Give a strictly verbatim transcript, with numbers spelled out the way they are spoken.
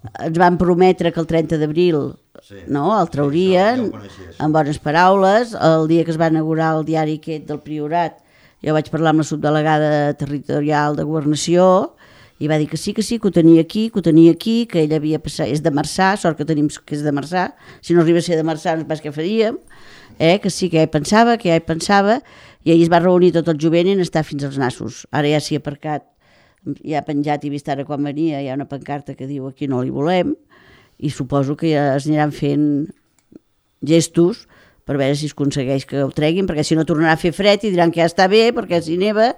Ens van prometre que el trenta d'abril sí. no, el traurien, sí, amb bones paraules. El dia que es va inaugurar el diari aquest del Priorat, jo vaig parlar amb la subdelegada territorial de Governació i va dir que sí, que sí, que ho tenia aquí, que ho tenia aquí, que ell havia passat, és de Marçà, sort que tenim que és de Marçà, si no arriba a ser de Marçà no sé què faríem, eh? Que sí, que ja hi pensava, que ja hi pensava, i ahir es va reunir tot el jovent i n'està fins als nassos. Ara ja s'hi ha aparcat, ja ha penjat, i vist ara quan venia, hi ha una pancarta que diu aquí no li volem, i suposo que ja es aniran fent gestos per veure si es aconsegueix que ho treguin, perquè si no tornarà a fer fred i diran que ja està bé, perquè si neva